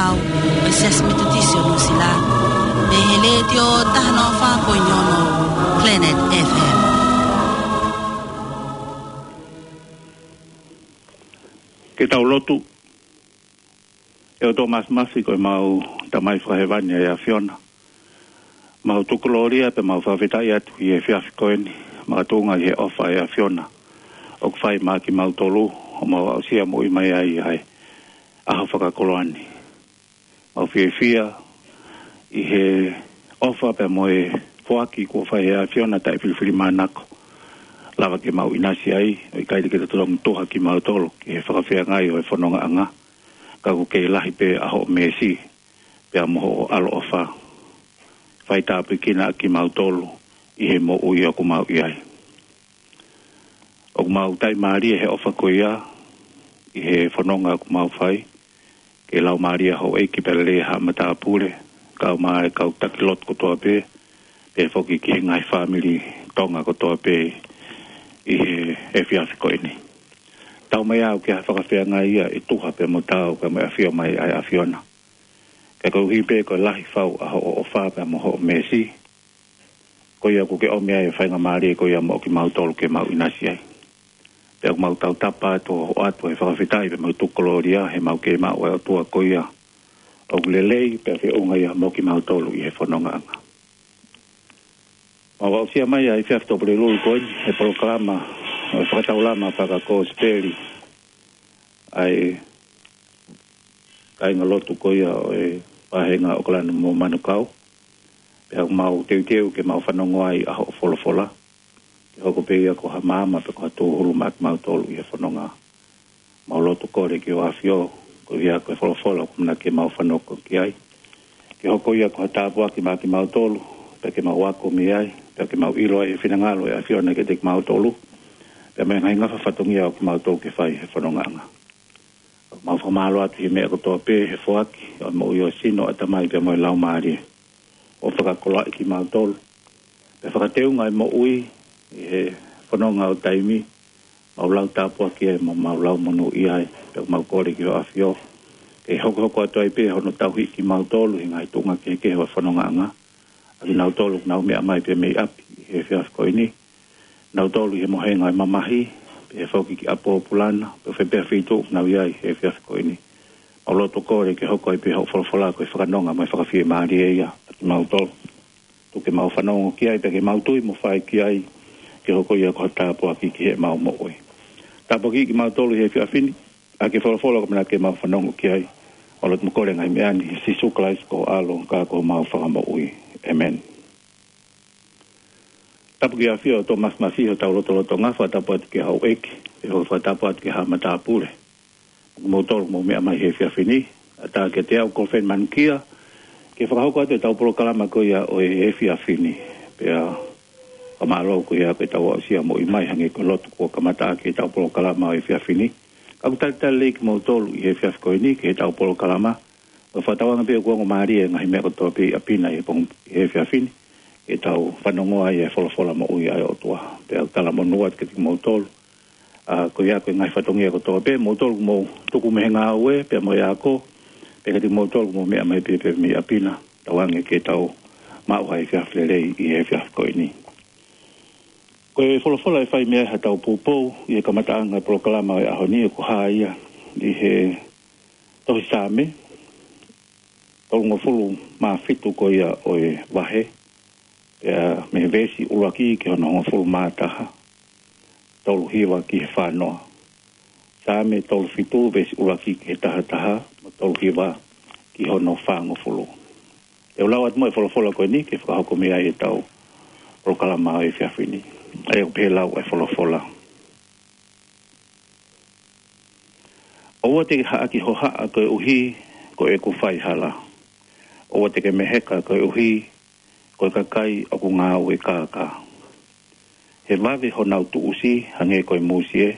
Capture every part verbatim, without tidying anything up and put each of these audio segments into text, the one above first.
Au, ʻe Siasi Metotisi ʻo Nuʻusila, ʻe he letiō taha noa fā poini ono Planet F M. Ke tau lotu. ʻE ʻOtua Māfimafi, ko ʻemau Tamai Fakahēvani ʻa e ʻAfiona. Mau tuku kolōlia pea mau fakafetaʻi atu ʻi he efiafi ko eni, makatuʻunga ʻi he ʻofa ʻa e ʻAfiona ʻoku fai maʻa kimautolu, ʻo mau aʻusia moʻui mai ai ʻa e ʻaho fakakoloa ni. Mau fiefia ʻi he ʻofa pea mo e foaki kuo fai ʻe he ʻAfiona taʻefilifilimānako. Lava ke mau ʻinasi ai, ʻo ʻikai te ke totonu tuha kimautolu ki he fakafeangai ʻo e fonongaʻanga. Ka ʻoku kei lahi pē ʻa hoʻo mēsi, pea mo hoʻo ʻaloʻofa. Fai tāpuekina ʻa kimautolu ʻi he moʻui ʻoku mau ʻi ai. ʻOku mau taʻimālie he ʻofa ko ia ʻi he fononga ʻoku mau fai. Ke laumālie houʻeiki pea lelei haʻa matāpule, kau mai kau taki lotu kotoa pē, pea foki ki he ngaahi fāmili Tonga kotoa pē ʻi he efiafi ko eni. Tau mai au ki ha fakafeangai ia ʻe tuha pea mo taau pea mo e ʻafio mai ʻa e ʻAfiona. Ka koeʻuhi pē ko e lahi fau ʻa hoʻo ʻofa pea mo hoʻo mēsi, ko ia ʻoku ke ʻomi ai e faingamālie ko ia maʻa kimautolu ke mau ʻinasi ai. Pea ʻoku mau tautapa atu ʻo ʻoatu e fakafetaʻi pea mau tuku kolōlia he mau kei maʻu ʻa e ʻOtua ko ia ʻoku lelei pea feʻunga ia maʻa kimautolu ʻi he fonongaʻanga. Mau aʻusia mai ʻa e efiafi Tuʻapulelulu ko eni he polokalama ʻo e fakataulama fakakosipeli ʻa e kāinga lotu ko ia ʻo e vāhenga ʻAokalani mo Manukau. Pea ʻoku mau teuteu ke mau fanongo ai ʻa hoʻo folofola, ke hoko pē ia ko ha maama pe ko ha tūhulu maʻa kimautolu ʻi he fononga. Mau lotu kole ki hoʻo ʻAfio, ko ia ko e folofola ʻoku manako ke mau fanongo ki ai, ke hoko ia ko ha tāpuaki maʻa kimautolu, pea ke mau ako mei ai, pea ke mau ʻilo ai e finangalo ʻo e ʻAfiona kiate kimautolu, pea mo e ngaahi ngafa fatongia ʻoku mau tō ke fai he fonongaʻanga. Mau fakamālō atu he meʻa kotoa pē, he foaki ʻo e moʻui ʻo e sino, ʻatamai pea mo e laumālie, ʻo fakakoloaʻi kimautolu, pea fakateunga e moʻui ʻi he fononga ʻo taimi. Mau lau tāpuaki ai, mau, mau lau monūʻia ai, pea mau kole ki hoʻo ʻAfio ke hokohoko atu ai pē hono tauhi kimautolu he ngaahi tuʻunga kehekehe ʻo e fonongaʻanga. ʻA kinautolu ʻoku nau meʻa mai pē mei ʻapi ʻi he efiafi ko eni, nautolu ʻi he mohenga ʻo e mamahi, pea foki ki ʻapi pōpula na, pe ko fē pē feituʻu ʻoku nau ʻi ai he efiafi ko eni. Mau lotu kole ke hoko ai pē hoʻo folofola ko e fakanonga mo e fakafiemālie ia ʻa kimautolu. Tuku ke mau fanongo ki ai, pea ke mau tui mo fai ki ai, ke hoko ia ko ha tāpuaki ki heʻemau moʻui. Tāpuakiʻi kimautolu he efiafi ni ʻaki e folofola ʻoku manako ke mau fanongo ki ai. Mau lotu mo kole e ngaahi meʻa ni ʻia Sīsū Kalaisi ko ho ʻAlo ka ko homau Fakamoʻui. ʻĒmeni. Tapu ki he ʻAfio ʻOtua Māfimafi ʻi hotau lotolotonga, fakatapu atu ki he houʻeiki, pea fakatapu atu ki he haʻa matāpule, mo kimoutolu ʻoku mou meʻa mai he efiafi ni. ʻAtā kiate au ko Feni Manukia ke fakahoko atu ʻetau polokalama ko ia ʻo e efiafi ni. Pea fakamālō ko ia ko ʻetau aʻusia moʻui mai hangē ko e lotu kuo kamata ʻaki ʻetau polokalama ʻo e efiafi ni. Ka ʻoku talitali lelei kimoutolu ʻi he efiafi ko eni ki heʻetau polokalama. ʻOku fakatauange pē ʻoku ongo mālie e ngaahi meʻa kotoa pē ʻi ʻapi na ʻi he pongipongi, ʻi he efiafi ni, ke tau fanongo ai e folofola moʻui ʻa e ʻOtua. Pea ʻoku talamonū atu kiate kimoutolu, ʻa, ko ia ko e ngaahi fatongia kotoa pē, moutolu ʻoku mou tuku mei he ngāue pea mo e ako, pea kiate kimoutolu ʻoku mou meʻa mai pē pē mei ʻapi na, tauange ke tau maʻu ha efiafi lelei ʻi he efiafi ko eni. Ko e folofola ʻe fai mei ai haʻatau poupou ʻi he kamataʻanga e polokalama ʻo e ʻaho ni ʻoku hā ia ʻi he tohi Saame tolungofulu mā fitu ko ia ʻo e vahe, pea mei he veesi ʻuluaki ki hono hongofulu mā taha, tolu hiva ki he fā noa. Saame tolu fitu veesi ʻuluaki ki he taha taha, mo tolu hiva ki hono fāngofulu. Te u lau atu mo e folofola ko eni ke fakahoko mei ai ʻetau polokalama ʻo e efiafi ni. ʻA ia ʻoku pehē lau e folofola. ʻOua te ke haʻaki hohaʻa koeʻuhi ko ʻeku fai hala. ʻOua te ke meheka koeʻuhi ko e kakai ʻoku ngāue kākā. He vave honau tuʻusi hangē ko e mūsie,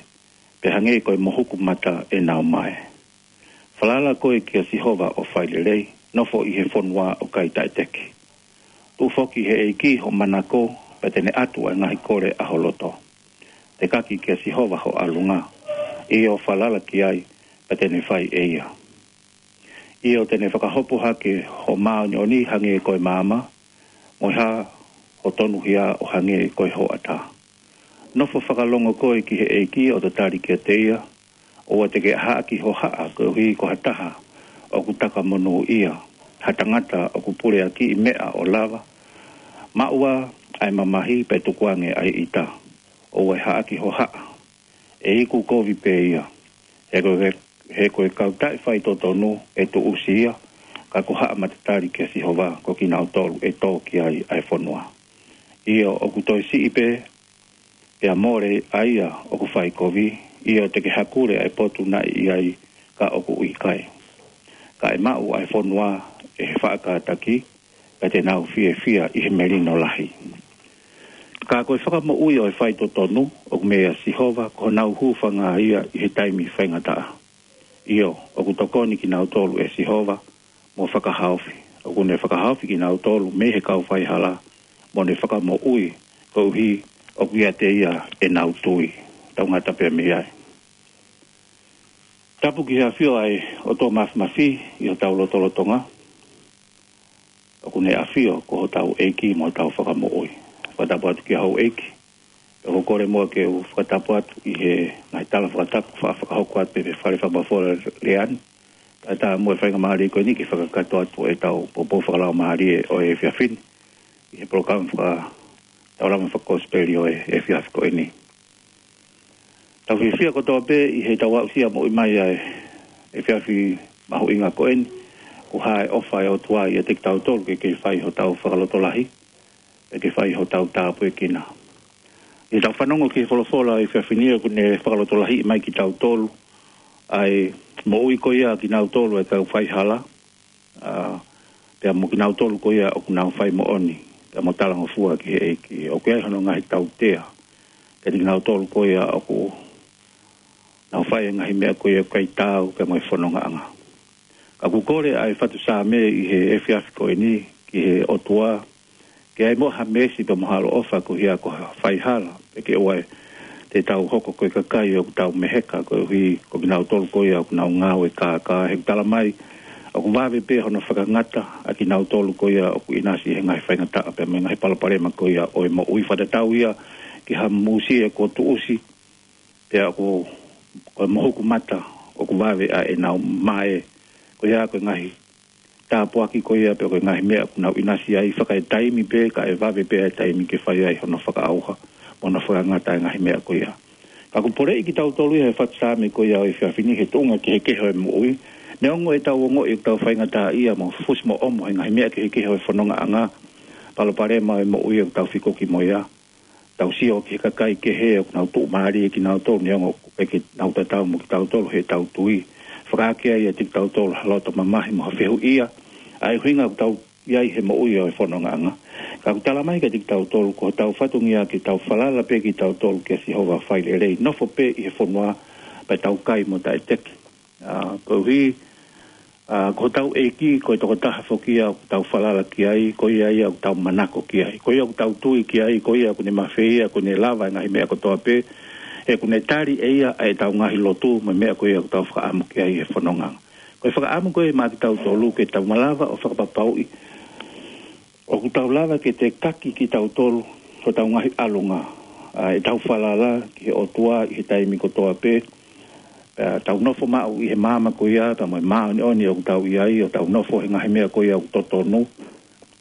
pea hangē ko e mohuku mata ʻenau mae. Falala koe kia Sihova ʻo fai lelei, nofo ʻi he fonua ʻo kai taʻeteki. Tuʻu foki he ʻEiki ho manako, pea te ne ʻatu ʻa e ngaahi kole ʻa ho loto. Tekaki kia Sihova ho ʻalunga, ʻio falala ki ai, pea te ne fai ʻe ia. ʻIo, te ne fakahopo hake ho māʻoniʻoni hangē ko e maama, mo e hā ho tonuhia ʻo hangē ko e hoʻatā. Nofo fakalongo koe ki he ʻEiki ʻo tatali kiate ia, ʻoua te ke ʻahaʻaki hohaʻa koeʻuhi ko ha taha ʻoku taka monūʻia, ha tangata ʻoku puleakiʻi meʻa ʻo lava, maʻu ā ʻa e mamahi pea tukuange ʻa e ʻita. ʻOua ʻe ʻahaʻaki hohaʻa, ʻe iku kovi pē ia. He ko e, he ko e kau taʻefaitotonu ʻe tuʻusi ia, ka ko haʻa matatali kia Sihova ko kinautolu ʻe tō ki ai ʻa e fonua. ʻIo, ʻoku toe siʻi pē, pea mole ʻa ia ʻoku fai kovi, ʻio te ke hakule ʻa e potu naʻe ʻi ai ka ʻoku ʻikai. Ka ʻe maʻu ʻa e fonua ʻe he faʻa kātaki, pea te nau fiefia ʻi he melino lahi. Ka ko e fakamoʻui ʻo e faitotonu, ʻoku meia Sihova, ko honau hūfanga ia ʻi he taimi faingataʻa. ʻIo, ʻoku tokoni kinautolu ʻe Sihova, mo fakahaofi. ʻOku ne fakahaofi kinautolu mei he kau faihala, mo ne fakamoʻui, koeʻuhi ʻoku ʻiate ia ʻenau tui. Tau ngata pē mei ai. Tapu ki he ʻafio ʻa e ʻOtua Mafimafi ʻi hotau lotolotonga. ʻOku ne ʻafio ko hotau ʻEiki mo hotau Fakamoʻui. Fakatapu atu ki houʻeiki. ʻOku ou kole muʻa ke u fakatapu atu ʻi he ngaahi tala fakatapu fa-, fakahoko atu pē he fale fakamafola Leani. Kae ʻatā muʻa e faingamālie ko eni ke fakakakato atu ʻetau poupou fakalaumālie ʻo e efiafi ni ʻi he polokalama faka-, taulama fakakosipeli ʻo e efiafi ko eni. Tau fiefia kotoa pē ʻi heʻetau aʻusia moʻui mai ʻa e efiafi mahuʻinga ko eni, ʻoku hā e ʻofa ʻa e ʻOtua ʻiate kitautolu ke, ke fai hotau fakalotolahi, pea ke fai hotau tāpuekina. ʻI heʻetau fanongo ki he folofola ʻo e efiafi ni ʻoku ne fakalotolahiʻi mai kitautolu, ʻa e moʻui ko ia kinautolu ʻa e kau faihala, ʻa, pea mo kinautolu ko ia ʻoku nau fai moʻoni, pea mo talangofua ki he ʻEiki. ʻOku ʻi ai hono ngaahi tautea, kiate kinautolu ko ia ʻoku nau fai e ngaahi meʻa ko ia ʻoku ʻikai taau, pea mo e fonongaʻanga. Ka ʻoku kole ʻa e fatu Saame ʻi he efiafi ko eni, ki he ʻOtua, ke ʻi ai muʻa ha meesi pea mo ha ʻaloʻofa ko ia ko ha faihala, pea ke ʻoua te tau hoko ko e kakai ʻoku tau meheka koeʻuhi ko kinautolu ko ia ʻoku nau ngāue kākā. He ʻoku tala mai, ʻoku vave pē hono fakangata ʻa kinautolu ko ia ʻoku ʻinasi he ngaahi faingataʻa pea mo e ngaahi palopalema ko ia ʻo e moʻui. Fakatatau ia ki ha mūsie kuo tuʻusi, pea ʻoku, ko e mohuku mata, ʻoku vave ʻa ʻenau mae, ko ia ko e ngaahi tāpuaki ko ia pea ko e ngaahi meʻa ʻoku nau ʻinasi ai, fakaetaimi pē, kae vave pē ʻa e taimi ke fai ai hono fakaʻauha, mo hono fakangata e ngaahi meʻa ko ia. Ka ʻoku poleʻi kitautolu ia he fatu Saame ko ia ʻo e efiafi ni he tuʻunga kehekehe ʻo e moʻui, neongo ʻetau ongoʻi ʻoku tau faingataʻaʻia mo fusi mo ʻomo he ngaahi meʻa kehekehe ʻo e fonongaʻanga, palopalema ʻo e moʻui ʻoku tau fikoki mo ia. Tau sio ki he kakai kehe ʻoku nau tuʻumālie kinautolu neongo ʻoku ʻikai ke nau tatau mo kitautolu heʻetau tui. Fakaake ai ʻiate kitautolu ha loto mamahi mo ha fehuʻia, ʻa e ʻuhinga ʻoku tau ʻi ai he moʻui ʻo e fonongaʻanga. Ka ʻoku tala mai kiate kitautolu, ko hotau fatongia ke tau falala pē kitautolu kia Sihova, fai lelei, nofo pē ʻi he fonua, pea tau kai mo taʻeteki. ʻA, koeʻuhi, ʻa, ko hotau ʻEiki, ko e tokotaha foki ia ʻoku tau falala ki ai, ko ia ia ʻoku tau manako ki ai, ko ia ʻoku tau tui ki ai, ko ia ʻoku ne mafeia, ʻoku ne lava e ngaahi meʻa kotoa pē, he ʻoku ne tali ʻe ia ʻa ʻetau ngaahi lotu, mo e meʻa ko ia ʻoku tau fakaʻamu ki ai he fononga. Ko e fakaʻamu ko ia maʻa kitautolu ke tau malava ʻo fakapapauʻi ʻoku tau lava ke tekaki kitautolu, ko hotau ngaahi ʻalunga, ʻa, ʻetau falala ki he ʻOtua ʻi he taimi kotoa pē, pea tau nofo maʻu ʻi he maama ko ia, pea mo e māʻoniʻoni ʻoku tau ʻi ai, ʻo tau nofo he ngaahi meʻa ko ia ʻoku totonu,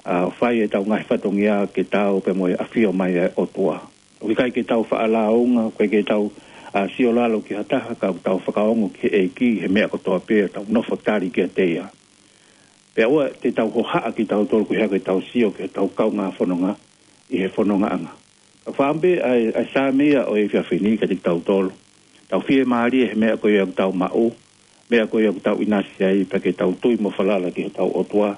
ʻa, fai ʻetau ngaahi fatongia ke tau pea mo e ʻafio mai ʻa e ʻOtua. ʻOku ʻikai ke tau faʻa lāunga, ʻoku ʻikai ke tau, ʻa, sio lalo ki ha taha, ka ʻoku tau fakaongo ki he ʻEiki he meʻa kotoa pē, tau nofo tali kiate ia. Pea ʻoua te tau hohaʻa kitautolu ko e hā ko ʻetau sio ki heʻetau kaungā fononga ʻi he fonongaʻanga. Ka fāmbe ʻa e, ʻa e Saame ia ʻo e efiafi ni kiate kitautolu. Tau fiemālie he meʻa ko ia ʻoku tau maʻu, meʻa ko ia ʻoku tau ʻinasi ai, pea ke tau tui mo falala ki hotau ʻOtua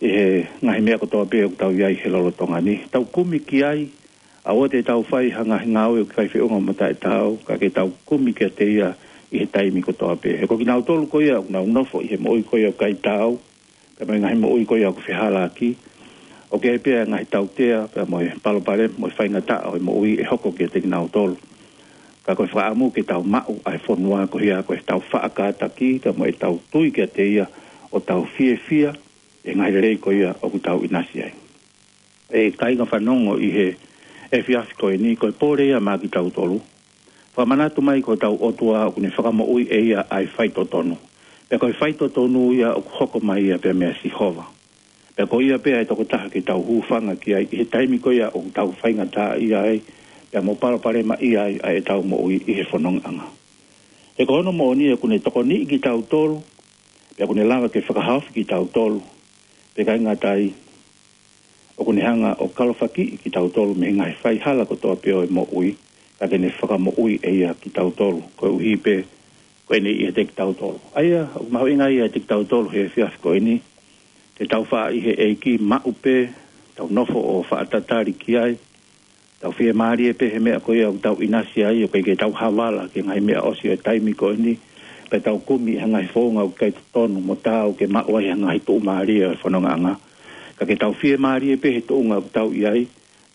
ʻi he ngaahi meʻa kotoa pē ʻoku tau ʻi ai he lolotonga ni. Tau kumi ki ai, ʻoua te tau fai ha ngaahi ngāue ʻoku ʻikai feʻunga mo taʻetaau, ka ke tau kumi kiate ia ʻi he taimi kotoa pē. He ko kinautolu ko ia ʻoku nau nofo ʻi he moʻui ko ia ʻoku ʻikai taau, pea mo e ngaahi moʻui ko ia ʻoku fehālaaki, ʻoku ʻi ai pē ʻa e ngaahi tautea, pea mo e palopalema, mo e faingataʻa ʻo e moʻui ʻe hoko kiate kinautolu. Ka ko e fakaʻamu ke tau maʻu ʻa e fonua ko ia ko ʻetau faʻa kātaki, pea mo ʻetau tui kiate ia, ʻo tau fiefia ʻi he ngaahi lelei ko ia ʻoku tau ʻinasi ai. ʻE kāinga fanongo ʻi he efiafi ko eni, ko e pole ia maʻa kitautolu. Fakamanatu mai ko hotau ʻOtua ʻoku ne fakamoʻui ʻe ia ʻa e faitotonu. Pea ko e faitotonu ia ʻoku hoko mai ia pea meia Sihova. Pea ko ia pē ʻa e tokotaha ke tau hūfanga ki ai ʻi he taimi ko ia ʻoku tau faingataʻaʻia ai, pea mo palopalemaʻia ai ʻa ʻetau moʻui ʻi he fonongaʻanga. He ko hono moʻoni ʻoku ne tokoniʻi kitautolu, pea ʻoku ne lava ke fakahaofi kitautolu. Pea ʻikai ngata ai, ʻoku ne hanga ʻo kalofakiʻi kitautolu mei he ngaahi faihala kotoa pē ʻo e moʻui, ka te ne fakamoʻui ʻe ia kitautolu, koeʻuhi pē ko ʻene ʻiate kitautolu. ʻA ia, ʻoku mahuʻinga ia ʻiate kitautolu he efiafi ko eni, ke tau faʻa ʻi he ʻEiki maʻu pē, tau nofo ʻo faʻa tatali ki ai, tau fiemālie pē he meʻa ko ia ʻoku tau ʻinasi ai, ʻoku ʻikai ke tau havala ki he ngaahi meʻa ʻosi ʻo e taimi ko eni, pea tau kumi ʻi he ngaahi founga ʻoku ʻikai totonu mo taau ke maʻu ai ʻa e ngaahi tuʻumālie ʻo e fonongaʻanga. Ka ke tau fiemālie pē he tuʻunga ʻoku tau ʻi ai,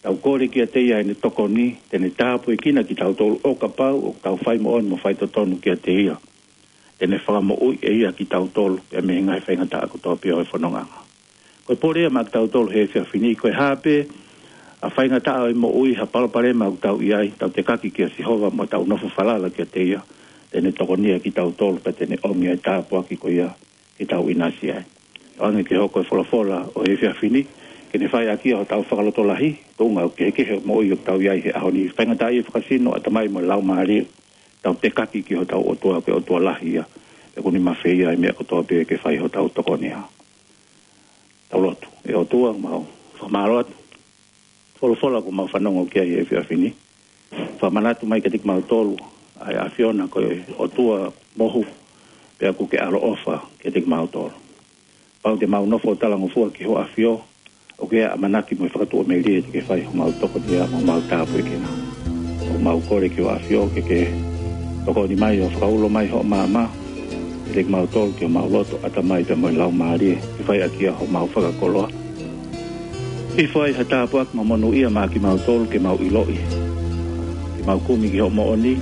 tau kole kiate ia ʻene tokoni, te ne tāpuekina kitautolu ʻo kapau ʻoku tau fai moʻoni mo faitotonu kiate ia. Te ne fakamoʻui ʻe ia kitautolu, pea mei he ngaahi faingataʻa kotoa pē ʻo e fonongaʻanga. Ko e pole ia maʻa kitautolu he efiafi ni, ko e hā pē ʻa e faingataʻa ʻo e moʻui, ha palopalema ʻoku tau ʻi ai, tau tekaki kia Sihova mo tau nofo falala kiate ia, te ne tokonia kitautolu, pea te ne ʻomi ʻa e tāpuaki ko ia ke tau ʻinasi ai. ʻOange ke hoko e folofola ʻo e efiafi ni, ke ne fai ʻaki ia hotau fakalotolahi, tuʻunga ʻoku kehekehe ʻa e moʻui ʻoku tau ʻi ai he ʻaho ni. Faingataʻaʻia fakasino, ʻatamai mo e laumālie, tau tekaki ki hotau ʻOtua, ko e ʻOtua lahi ia, ʻoku ne mafeia ʻa e meʻa kotoa pē ke fai hotau tokonia. Tau lotu. ʻE ʻOtua, mau fakamālō atu. Folofola ʻoku mau fanongo ki ai he efiafi ni. Fakamanatu mai kiate kimautolu ʻa e ʻAfiona ko e ʻOtua mohu, pea ʻoku ke ʻaloʻofa kiate kimautolu. Pau te mau nofo ʻo talangofua ki ho ʻAfio, ʻoku ʻi ai ʻa e ʻamanaki mo e fakatuʻamelie te ke fai homau tokonia mo homau tāpuekina. ʻOku mau kole ki ho ʻAfio ke ke tokoni mai ʻo fakaulo mai hoʻo maama kiate kimautolu, ki homau loto, ʻatamai pea mo e laumālie, ke fai ʻaki ia homau fakakoloa. Hifo ai ha tāpuaki mo e monūʻia maʻa kimautolu ke mau ʻiloʻi, ke mau kumi ki hoʻo moʻoni,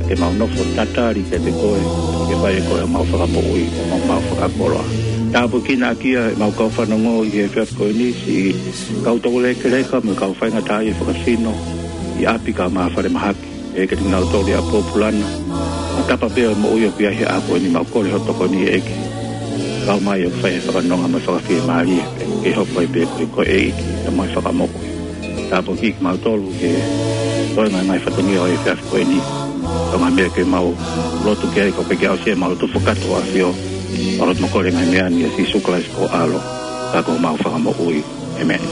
ke mau nofo tatali kiate koe, ke fai ʻe koe homau fakamoʻui mo homau fakakoloa. Tāpuekina ʻaki ia ʻemau kau fanongo ʻi he efiafi ko eni, siʻi kau toko lekeleka mo e kau faingataʻaʻia fakasino ʻi ʻapi kae ʻumaʻā falemahaki, ʻe kiate kinautolu ʻi ʻApōpulana, ʻa e tapa pē ʻo e moʻui ʻoku ʻi ai he ʻaho ko eni, mau kole ho tokoni ʻEiki. Kau mai ʻo fai e fakanonga mo e fakafiemālie, ke hoko ai pē koe ko e ʻEiki, ʻa e fakamoʻui. Tāpuakiʻi kimautolu ke toe ngaahi fatongia ʻo e efiafi ko eni. Ko e ngaahi meʻa ke mau lotu ki ai, ko e ke aʻusia ʻemau lotu fakakoloa ʻAfio. Mau lotu mo kole ngaahi meʻa ni ʻia Sīsū Kalaisi ko ho ʻAlo, ka ko homau Fakamoʻui. ʻĒmeni.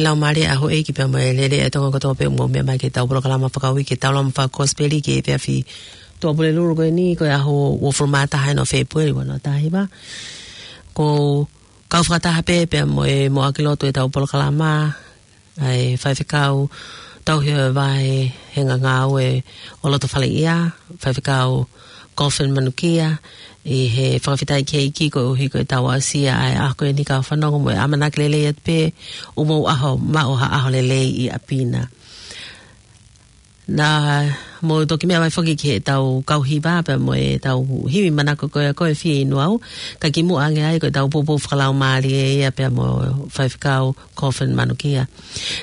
Laumālie ʻa e houʻeiki pea mo e lelei ʻa e Tonga kotoa pē ʻoku mou meʻa mai ki heʻetau polokalama fakauike, ke tau lama fakakosipeli ki he efiafi Tuʻapulelulu ko eni, ko e ʻaho uofulu mā taha ʻo Fēpueli ua noa taha hiva. Ko e kau fakataha pē pea mo e moʻaki lotu ʻetau polokalama, ʻa e Faifekau Tauhi ʻo e Vahenga Ngāue ʻo Lotofaleʻia, Faifekau Coffin Manukia, ʻi he fakafetaʻi ki he ʻEiki koeʻuhi ko ʻetau aʻusia ʻa e ʻaho ko eni, kau fanongo, mo e ʻamanaki lelei atu pē ʻoku mou ʻaho, maʻu ha ʻaho lelei ʻi ʻapi na. Naʻa mou toki meʻa mai foki ki heʻetau kau hiva pea mo ʻetau hivi manako ko ia ko e Fie Inu Au, ka kimuʻa ange ai ko ʻetau poupou fakalaumālie ia pea mo Faifekau Coffin Manukia.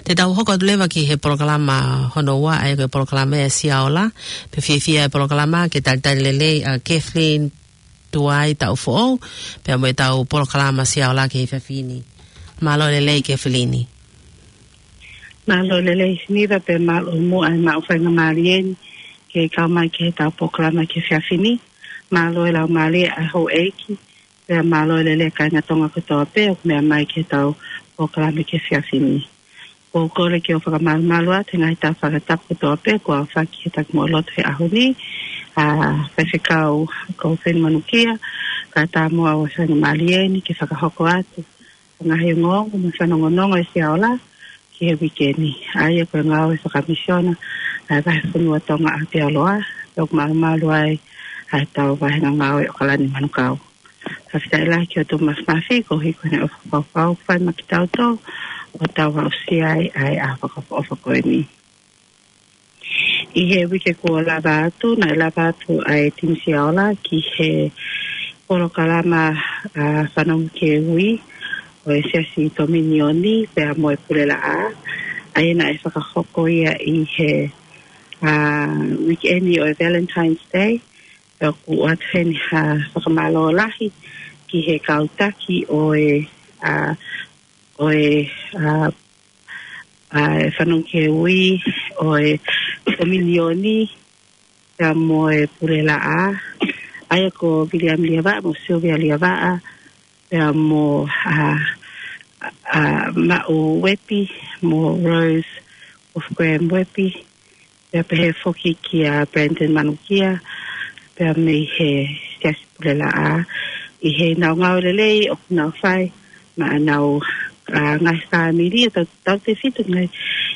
Te tau hoko atu leva ki he polokalama hono ua, ʻa ia ko e polokalama ʻa e Siaola, pea fiefia e polokalama ke talitali lelei ʻa Kathleen Tuai Taʻufoʻou, pea mo ʻetau polokalama Siaola ki he efiafi ni. Mālō e lelei Kathleen. Mālō e lelei Siniva, pea mālō muʻa e maʻu faingamālie ni ke kau mai ki heʻetau polokalama ki he efiafi ni. Mālō e laumālie ʻa e houʻeiki, pea mālō e lelei kāinga Tonga kotoa pē ʻoku meʻa mai ki heʻetau polokalama ki he efiafi ni. ʻOku ou kole ke u fakamalumalu atu he ngaahi tau fakatapu kotoa pē kuo aofaki he taki mo lotu he ʻaho ni, ʻa Faifekau Coffin Manukia, kae ʻatā mo au e faingamālie ni ke fakahoko atu ʻa e ngaahi ongoongo mo e fanongonongo ʻa e Siaola ki he uike ni. ʻA ia ko e ngāue fakamisiona ʻa e Vahefonua Tonga ʻAotearoa, ʻoku malumalu ai ʻa ʻetau Vahenga Ngāue ʻOkalani Manukau. Fakafetaʻi lahi ki he ʻOtua Māfimafi koeʻuhi ko ʻene ʻofa fakaʻofoʻofa ʻoku fai maʻa kitautolu ʻo tau aʻusia ai ʻa e ʻaho fakaʻofoʻofa ko eni. ʻI he uike kuo lava atu, naʻe lava atu ʻa e Timi Siaola ki he polokalama, ʻa, Fanongo ki he Ui ʻo e Siasi Tominioni pea mo e Pulelaʻā. ʻA ia naʻe fakahoko ia ʻi he, ʻa, uike ni ʻo e Valentine's Day. Pea ʻoku ʻoatu heni ha fakamālō lahi ki he kau taki ʻo e, ʻa, ʻo e, ʻa, ʻa e Fanongo ki he Ui ʻo e Tominioni pea mo e Pulelaʻā, ʻa ia ko Viliami Liavaʻa mo Sylvia Liavaʻa, pea mo, ʻa, ʻa, Maʻu Uepi mo Rose Wolfgram Uepi, pea pehē foki kia Brandon Manukia, pea mei he Siasi Pulelaʻā, ʻi heʻenau ngāue lelei ʻoku nau fai maʻa ʻenau, ʻa, ngaahi fāmili, ʻo tau, tautefito ngaahi,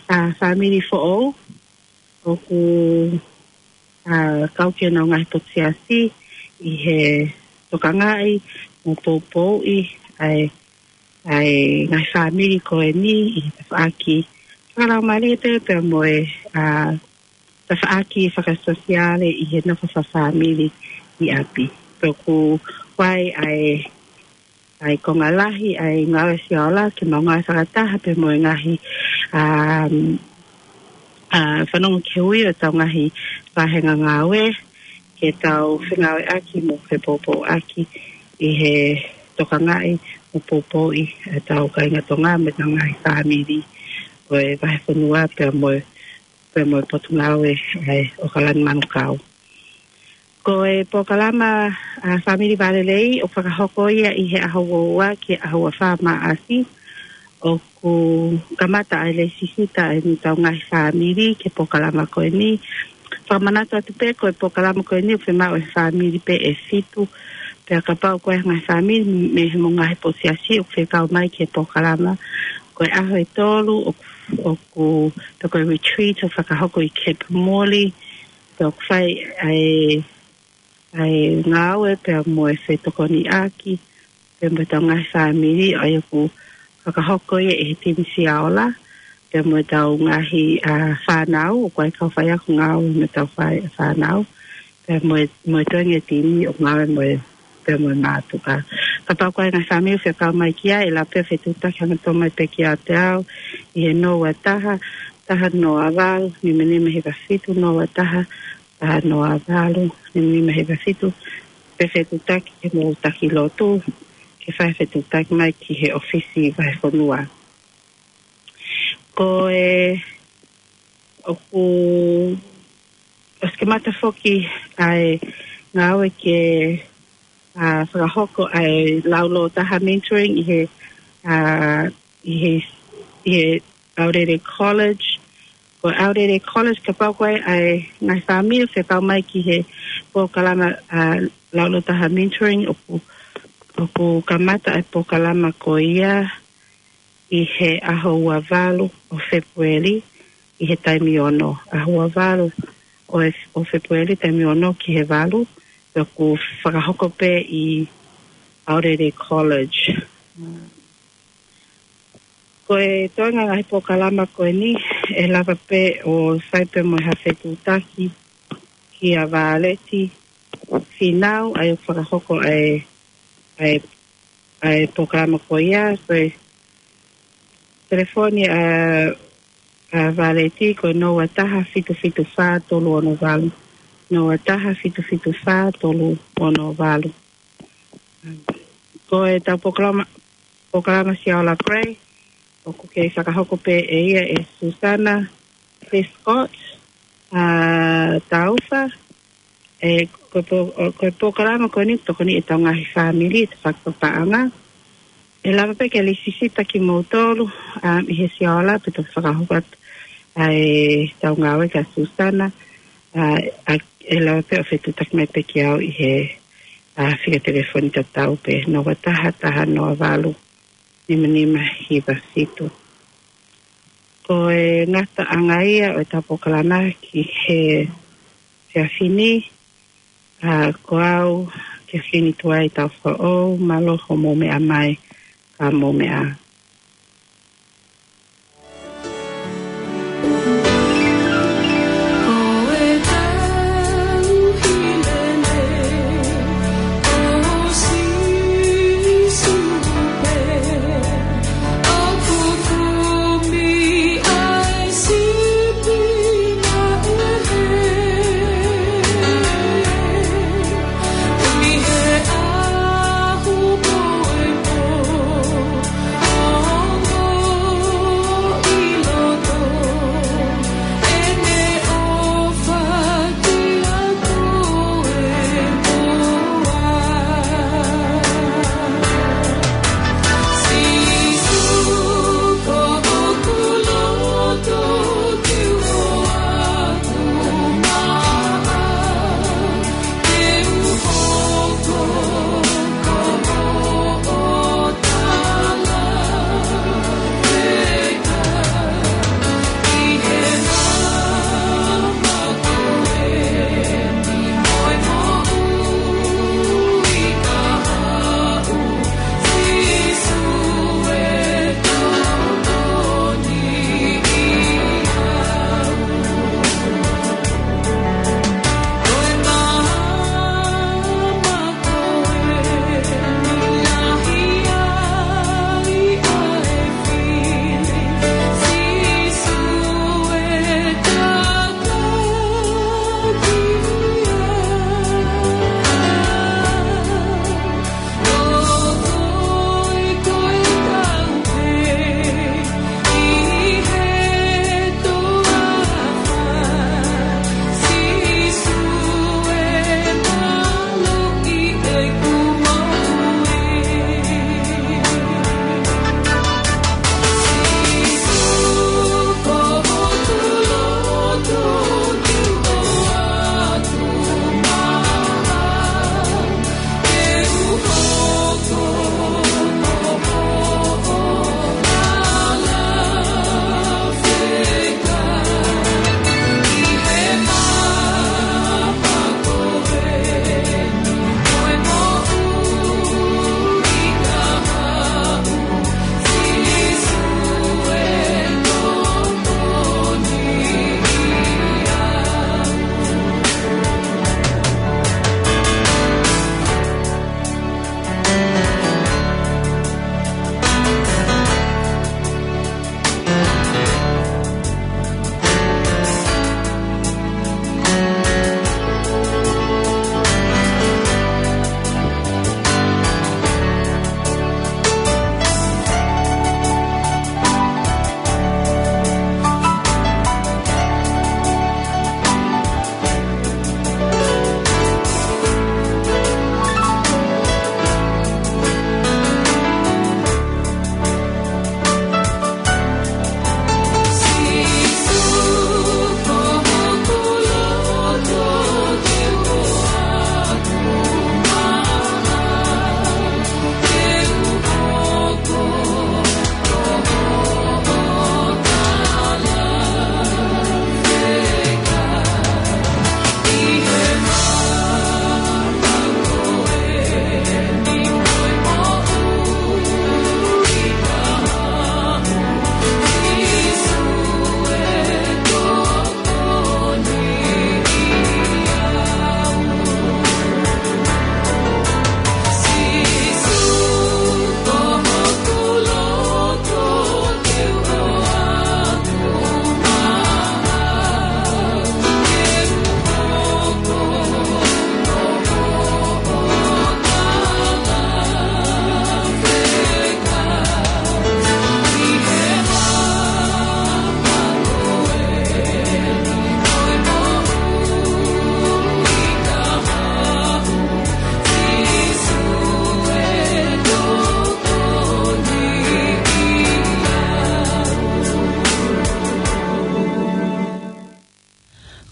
ʻa, fāmili foʻou ʻoku, ʻa, kau ki heʻenau ngaahi potu siasi ʻi he tokangaʻi mo poupouʻi ʻa e, ʻa e ngaahi fāmili ko eni ʻi he tafaʻaki fakalaumālie pea mo e, ʻa, tafaʻaki fakasōsiale ʻi he nofo fakafāmili ʻi ʻapi. Pea ʻoku ʻi ai ʻa e, ʻa e konga lahi ʻa e ngāue Siaola ke mau ngāue fakataha pea mo e ngaahi, ʻa, ʻa, Fanongo ki he Ui ʻo ʻetau ngaahi vahenga ngāue, ke tau fengāueʻaki mo fepoupouʻaki ʻi he tokangaʻi mo poupouʻi ʻetau kāinga Tonga mo ʻetau ngaahi fāmili ʻo e Vahefonua pea mo e, pea mo e Potungāue ʻa e ʻOkalani Manukau. Ko e polokalama, ʻa, Fāmili Vālelei ʻoku fakahoko ia ʻi he ʻaho ua ua ki he ʻaho ua fā Maʻasi. ʻOku kamata ʻa e lēsisita ʻa ʻetau ngaahi fāmili ki he polokalama ko eni. Fakamanatu atu pē ko e polokalama ko eni ʻoku fiemaʻu ʻe he fāmili pē ʻe fitu. Pea kapau ko e ngaahi fāmili mei he mo e ngaahi potu siasi ʻoku fekau mai ki he polokalama, ko e ʻaho ʻe tolu ʻoku, ʻoku, pea ko e retreat ʻoku fakahoko ʻi Cape Morley, pea ʻoku fai ʻa e, ʻa e ngāue pea mo e fetokoniʻaki pea mo ʻetau ngaahi fāmili, ʻa ia ʻoku fakahoko ia ʻe he Timi Siaola pea mo ʻetau ngaahi, ʻa, fānau, ʻoku ʻi ai e kau faiako ngāue mo ʻetau fai, fānau, pea mo e, mo e toenga e timi ʻoku ngāue mo e, pea mo e mātuʻa. Kapau ko e ngaahi fāmili ʻoku fekau mai ki ai, ʻe lava pē ʻo fetuʻutaki hangatonu mai pē kiate au ʻi he noa ua taha, taha noa valu, nima nima hiva fitu, noa ua taha, taha noa valu, nima nima hiva fitu, pe fetuʻutaki ki hoʻomou taki lotu, ke fai fetuʻutaki mai ki he ʻōfisi Vahefonua. Ko e, ʻoku, ʻosi kamata foki ʻa e ngāue ke, ʻa, fakahoko ʻa e lau lōtaha mentoring ʻi he, ʻa, ʻi he, ʻi he Aorere College. Ko Aorere College, kapau ko e ʻai ngaahi fāmili, fekau mai ki he polokalama ʻa Lauʻilotoʻa Mentoring, ʻoku, ʻoku kamata ʻa e polokalama ko ia ʻi he ʻaho ua valu ʻo Fēpueli ʻi he taimi ono. ʻAho ua valu ʻo e, ʻo Fēpueli taimi ono ki he valu, ʻoku fakahoko pē ʻi Aorere College. Ko e toenga ngaahi polokalama ko eni, ʻe lava pē ʻo fai pē mo ha fetuʻutaki kia Valeti Finau, ʻa ia ʻoku fakahoko ʻa e, ʻa e, ʻa e polokalama ko ia, ko e telefoni ʻa, ʻa Valeti ko e noa taha fitu fitu fā tolu ono valu. Noa taha fitu fitu fā tolu ono valu. Ko e tau polokalama, polokalama Siaola Pray, ʻoku kei fakahoko pē ʻe ia ʻe Susana Prescott, ʻa Taufa, ʻe ko e po-, ʻo, ko e polokalama ko eni tokoni ʻetau ngaahi fāmili, ʻetau fakapaʻanga. ʻE lava pē ke lisisita kimoutolu, ʻa, ʻi he Siaola, pea toki fakahoko atu ʻa e tau ngāue kia Susana, ʻa, ʻa, ʻe lava pē ʻo fetuʻutaki mai pē kia au ʻi he, ʻa, fika telefoni tatau pē, noa taha taha noa valu, nima nima hiva fitu. Ko e ngataʻanga ia ʻo e tau polokalama ki he efiafi ni, ʻa, ko au, Kefini Tuai Taufa'ou, mālō hoʻomou meʻa mai, ka mou meʻa.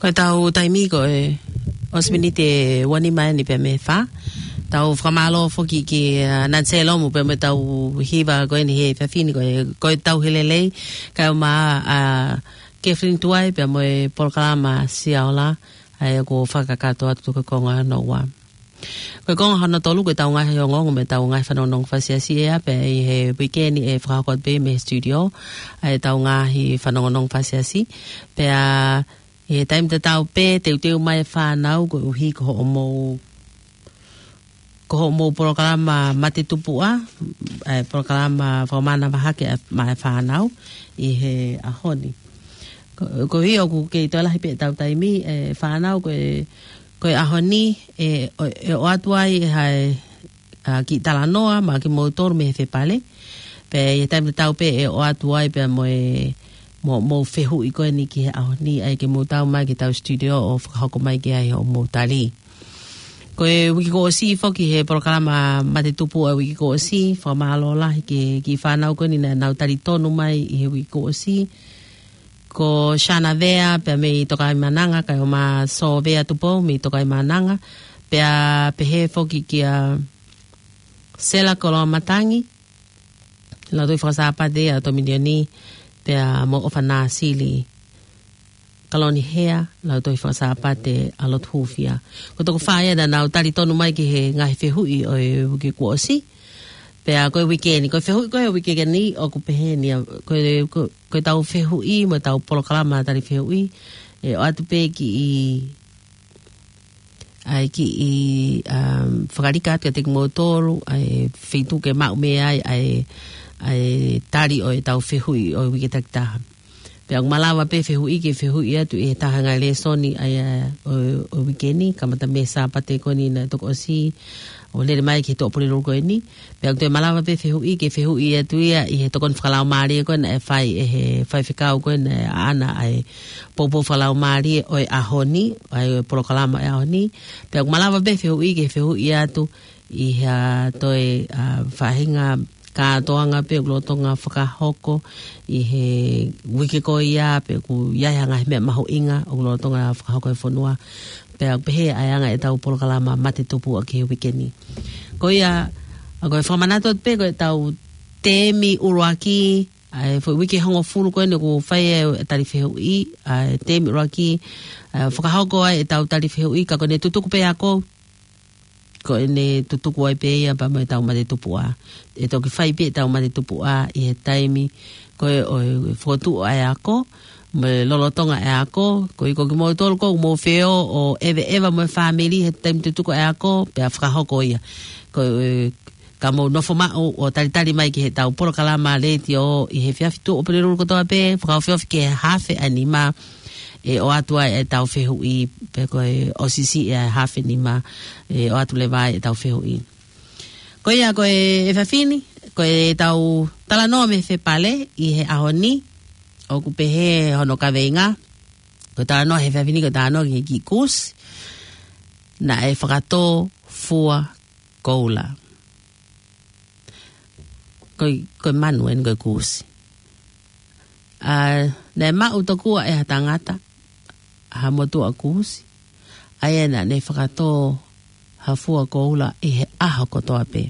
Ko e tau taimi ko e ʻosi miniti ʻe uanima eni pea mei he fā. Tau fakamālō foki ki, ā, Nancy Lomu pea mo e tau hiva ko eni he efiafi ni ko e, ko e tau he lelei, kae ʻumaʻā, ā, Kathleen Tuai pea mo e polokalama Siaola, ʻa ia ko e fakakakato atu ko e konga hono ua. Ko e konga hono tolu ko e tau ngaahi ongoongo mo e tau ngaahi fanongonongo fāsiasi ʻe ʻi ai pea ʻi he uike ni ʻe fakahoko atu pē mei he studio, ʻa e tau ngaahi fanongonongo fāsiasi. Pea ʻi he taimi tatau pē, teuteu mai e fānau koeʻuhi ko hoʻomou, ko hoʻomou polokalama mate tupuʻa, ʻa e polokalama fakamānava hake ʻa e, maʻa e fānau ʻi he ʻaho ni. Ko, koeʻuhi ʻoku kei toe lahi pē tau taimi, ʻe fānau ko e, ko e ʻaho ni, ʻe, ʻo, ʻe ʻoatu ai ʻe hai, ā, kiʻi talanoa maʻa kimoutolu mei he fepale. Pea ʻi he taimi tatau pē ʻe ʻoatu ai pea mo e, mo, mo e fehuʻi ko eni ki he ʻaho ni, ʻa ia ke mou tau mai ki he tau studio ʻo fakahoko mai ki ai hoʻomou tali. Ko e uike kuo ʻosi foki he polokalama mate tupuʻa e uike kuo ʻosi, fakamālō lahi ki he kiʻi fānau ko eni naʻa nau tali tonu mai ʻi he uike kuo ʻosi. Ko Shana Vea pea mei Tokaimaʻananga, kae ʻumaʻā Sō Vea Tupou mei Tokaimaʻananga, pea pehē foki kia Sela Koloamatangi, Lautohi Fakasāpate ʻa Tominioni, pea mo ʻOfana Sili Kalonihea, Lautohi Fakasāpate ʻa Lotu Hūfia. Ko e toko fā ia naʻa nau tali tonu mai ki he ngaahi fehuʻi ʻo e uike kuo ʻosi. Pea ko e uike ni, ko e fehuʻi ko e uike ni ʻoku pehē ni, ā, ko e, ko, ko e tau fehuʻi mo e tau polokalama tali fehuʻi, ʻe ʻoatu pē kiʻi, ʻa e kiʻi, um, fakalika atu kiate kimoutolu, ʻa e feituʻu ke maʻu mei ai ʻa e, ʻa e tali ʻo e tau fehuʻi ʻo e uike takitaha. Pea ʻoku malava pē fehuʻi ke fehuʻi atu ʻi he taha ngaahi lēsoni ʻa ia ʻo, ʻo e uike ni, kamata mei he Sāpate ko eni naʻe toki ʻosi, ʻo lele mai ki he Tuʻapulelulu ko eni. Pea ʻoku toe malava pē fehuʻi ke fehuʻi atu ia ʻi he tokoni fakalaumālie ko ē naʻe fai ʻe he faifekau ko ē naʻe ʻaʻana ʻa e poupou fakalaumālie ʻo e ʻaho ni, ʻa e polokalama ʻo e ʻaho ni. Pea ʻoku malava pē fehuʻi ke fehuʻi atu ʻi ha toe, ā, faʻahinga kātoanga pē ʻoku lolotonga fakahoko ʻi he uike ko ia, pe ʻoku ʻi ai ha ngaahi meʻa mahuʻinga ʻoku lolotonga fakahoko he fonua. Pea ʻoku pehē ʻa e anga e tau polokalama mate tupuʻa ki he uike ni. Ko ia, ʻa, ko e fakamanatu atu pē ko e tau temi ʻuluaki, ʻa e foʻi uike hongofulu ko eni ʻoku fai ai e tali fehuʻi, ʻa e temi ʻuluaki, ʻa, fakahoko ai e tau tali fehuʻi, ka ko ʻene tutuku pē ako, ko ʻene tutuku ai pē ia pea mo e tau mate tupuʻa. ʻE toki fai pē e tau mate tupuʻa ʻi he taimi ko ē ʻo e fokotuʻu ʻa e ako, mo e lolotonga e ako, koeʻuhi ko kimoutolu ʻoku mou feohi ʻo ʻeveʻeva mo e fāmili he taimi tutuku ʻa e ako, pea fakahoko ia. Ko e, ka mou nofo maʻu ʻo talitali mai ki he tau polokalama letiō ʻi he efiafi Tuʻapulelulu kotoa pē, fakaofiofi ki he haafe ʻa e nima, ʻe ʻoatu ai e tau fehuʻi, pe ko e ʻosi siʻi ʻa e haafe nima, ʻe ʻoatu leva ai e tau fehuʻi. Ko ia ko e efiafi ni, ko e tau talanoa mei he fepale ʻi he ʻaho ni, ʻoku pehē hono kaveinga, ko e talanoa he efiafi ni, ko e talanoa ki he kiʻi kusi naʻe fakatō fua koula. Ko e, ko e manu eni ko e kusi. ʻA, naʻe maʻu tokua ʻe ha tangata ha motuʻa kusi, ʻa ia naʻa ne fakatō ha fua koula ʻi he ʻaho kotoa pē.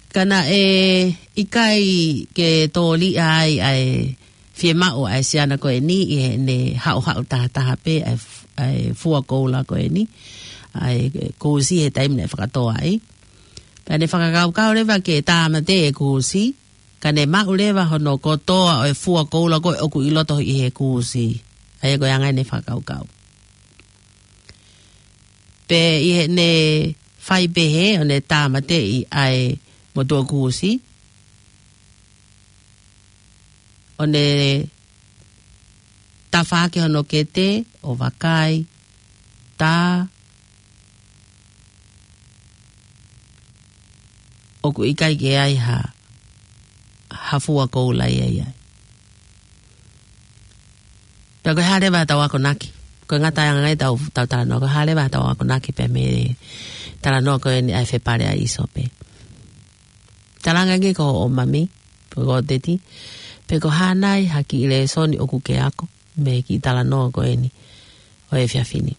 Ka naʻe ʻikai ke tōliʻa ai ʻa e fiemaʻu ʻa e siana ko eni ʻi heʻene haʻuhaʻu tahataha pē ʻa e f-, ʻa e fua koula ko eni, ʻa e kusi he taimi naʻe fakatō ai. Pea ne fakakaukau leva ke tāmateʻi e kusi, ka ne maʻu leva hono kotoa ʻo e fua koula ko ē ʻoku ʻi loto ʻi he kusi. ʻA ia ko e anga ʻene fakakaukau. Pea ʻi heʻene fai pehē ʻo ne tāmateʻi ʻa e motuʻa kusi, ʻo ne tafaʻaki hono kete ʻo vakai, tā, ʻoku ʻikai ke ai ha, ha fua koula ia ia. Pea ko e hā leva tau akonaki. Ko e ngataʻanga ia tau, tau talanoa. Ko e hā leva tau akonaki pea mei he talanoa ko eni ʻa e fepale ʻa ʻIsope. Talaange ange ko hoʻo mami, pe ko hoʻo teti. Pe ko e hā nai ha kiʻi lēsoni ʻoku ke ako mei he kiʻi talanoa ko eni ʻo e efiafi ni.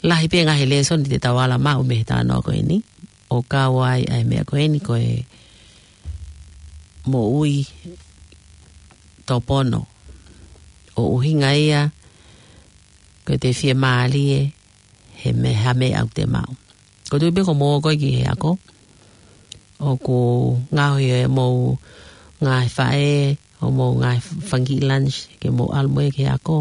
Lahi pē ngaahi lēsoni te tau ala maʻu mei he talanoa ko eni, ʻo kau ai ʻa e meʻa ko eni ko e moʻui tōpono. ʻO ʻuhinga ia ko e te fiemālie he meʻa, ha meʻa ʻoku te maʻu. Ko e tui pē ko moua koe ki he ako, ʻoku ngaohi ʻe mou ngaahi faʻē, ʻo mou ngaahi fanga kiʻi lunch, ke mou ʻalu mo ia ki he ako.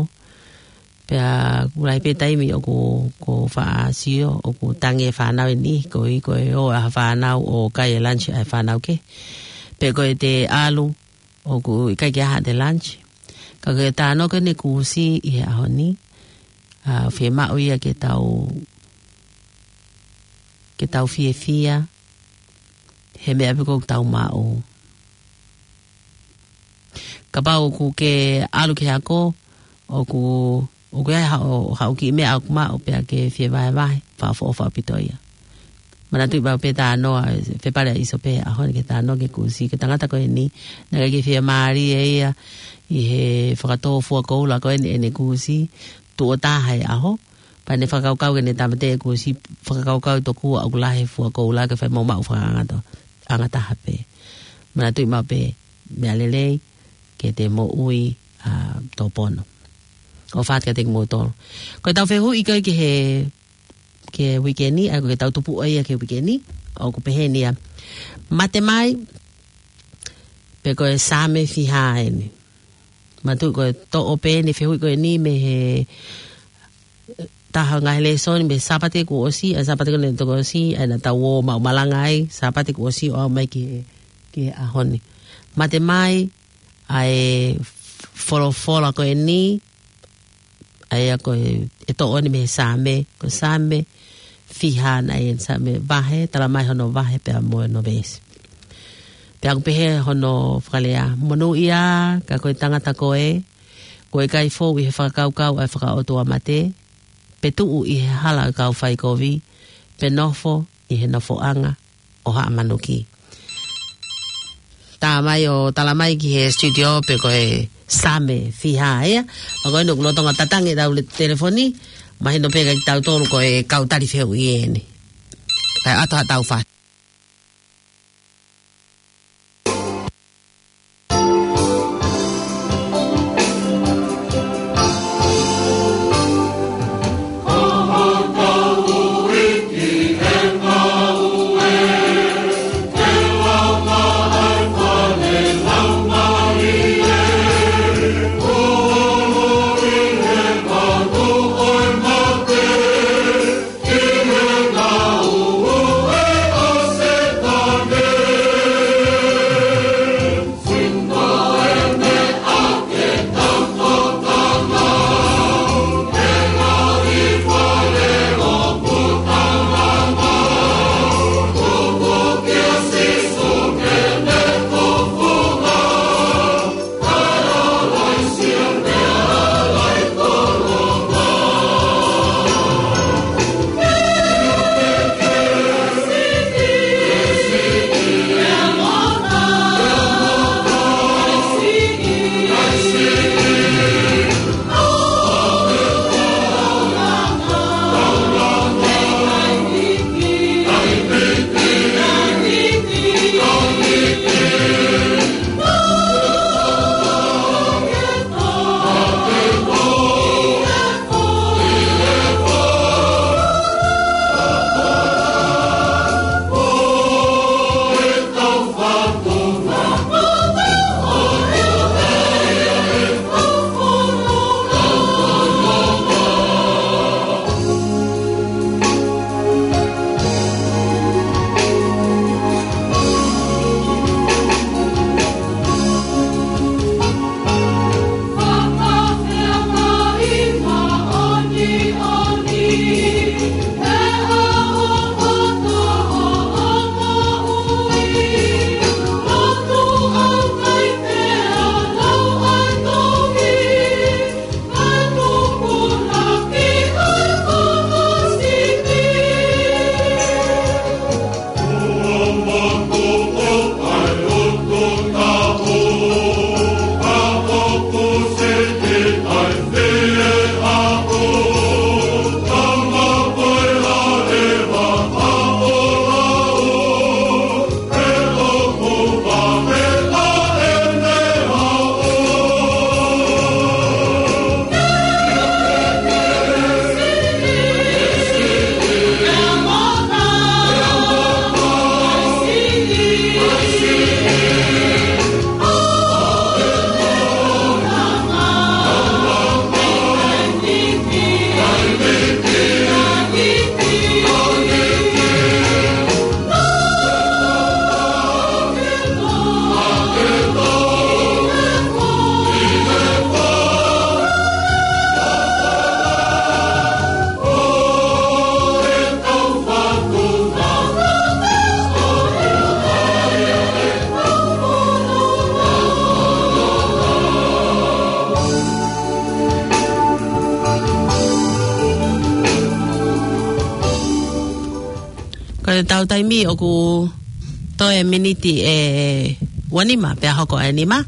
Pea ʻoku lahi pē taimi ʻoku, ʻoku faʻa sio, ʻoku tangi e fānau eni, ko e, ko e ō ʻa e fānau ʻo kai e lunch ʻa e fānau kehe. Pe ko e te ʻalu, ʻoku ʻikai ke ʻaha ʻete lunch. Ka ko e talanoa ko eni kuo ʻosi ʻi he ʻaho ni, ʻa, fiemaʻu ia ke tau, ke tau fiefia he meʻa pē ʻoku tau maʻu. Kapau ʻoku ke ʻalu ki he ako, ʻoku, ʻoku ʻi ai haʻo, haʻo kiʻi meʻa ʻoku maʻu pea ke fie vahevahe, fakaʻofoʻofa ʻaupito ia. Manatuʻi maʻu pē talanoa, fepale ʻa ʻIsope he ʻaho ni ki he talanoa ki he kusi, ki he tangata ko eni, naʻe ʻikai ke fiemālie ia ʻi he fakatō fua koula ko eni ʻene kusi, tuʻo taha he ʻaho, pea ne fakakaukau ke ne tāmateʻi e kusi, fakakaukau tokua ʻoku lahi e fua koula ke fai mo maʻu fakaʻangata, ʻangataha pē. Manatuʻi maʻu pē, meʻa lelei, ke te moʻui, ʻa, tōpono. ʻOfa atu kiate kimoutolu. Ko ʻetau fehuʻi ko ē ki he, ki he uike ni, ʻa ko ʻetau tupuʻa ia ki he uike ni, ʻoku pehē ni ia. Mate mai, pe ko e Saame fiha eni. Manatuʻi ko e toʻo pē eni fehuʻi ko eni mei he taha ngaahi lēsoni mei he Sāpate kuo ʻosi, ʻa e Sāpate ko eni toki ʻosi, ʻa ia naʻa tau ō maʻu malanga ai, Sāpate kuo ʻosi ʻo aʻu mai ki he, ki he ʻaho ni. Mate mai, ʻa e folofola ko eni, ʻa ia ko e, ʻe toʻo eni mei he Saame, ko e Saame fiha naʻe ʻi ai e Saame vahe, tala mai hono vahe pea mo hono veesi. Pea ʻoku pehē hono fakalea, monūʻia ka ko e tangata koe, kuo ʻikai fou ʻi he fakakaukau ʻa e fakaʻotuamate, pe tuʻu ʻi he hala ʻo e kau faikovi, pe nofo ʻi he nofoʻanga ʻo haʻa manuki. Tā mai ʻo tala mai ki he studio pe ko e Saame fiha ia. Ma ko eni ʻoku lolotonga tatangi ʻetau le-, telefoni, mahino pē kiate kitautolu ko e kau tali fehuʻi eni. Kae ʻoatu haʻatau fai. Tau taimi ʻoku toe miniti ʻe uanima, pea hoko ʻa e nima.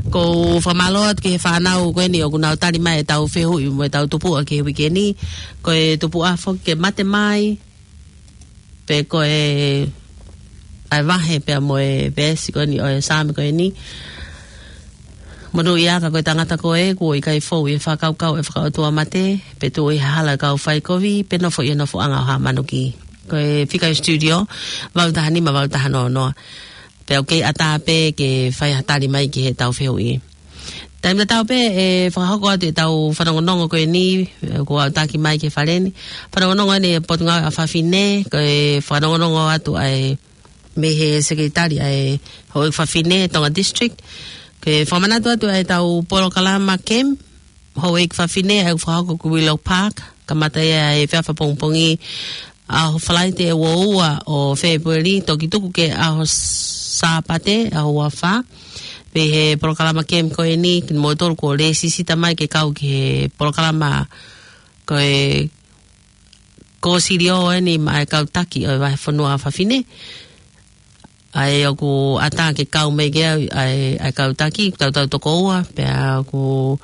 ʻOku ou fakamālō atu ki he fānau ko eni ʻoku nau tali mai ʻetau fehuʻi mo ʻetau tupuʻa ki he uike ni. Ko e tupuʻa foki ke mate mai, pe ko e ʻai vahe pea mo e veesi ko eni ʻo e Saame ko eni. Monūʻia ka ko e tangata ko ē, kuo ʻikai fou ʻi he fakakaukau ʻe fakaʻotuamate, pe tuʻu ʻi he hala ʻo e kau faikovi, pe nofo ʻi he nofoʻanga ʻo haʻa manuki. Ko e fika ʻi studio, valu taha nima, valu taha noa noa. Pea ʻoku kei ʻatā pē ke fai ha tali mai ki heʻetau fehuʻi. Taimi tatau pē ʻe fakahoko atu ʻetau fanongonongo ko eni, ʻoku aʻutaki mai ki he fale ni. Fanongonongo eni ʻa e Potungāue ʻa Fafine, ko e fanongonongo atu ʻa e mei he Sekelitali ʻa e Houʻeiki Fafine Tonga District. Ke fakamanatu atu ʻa ʻetau polokalama Kemi Houʻeiki Fafine ʻa ia ʻoku fakahoko ʻi Willow Park, kamata ia he efiafi pongipongi ʻaho Falaite ʻe ua ua ʻo Fēpueli, toki tuku ki he ʻaho Sāpate, ʻaho ua fā. Pea ʻi he polokalama Kemi ko eni, kimoutolu kuo lēsisita mai ke kau ki he polokalama ko e kōsilio eni maʻa e kau taki ʻo e vahefonua ʻa Fafine. ʻA ia ʻoku ʻatā ke kau mai ki ai ʻa e, ʻa e kau taki, tautau toko ua, pea ʻoku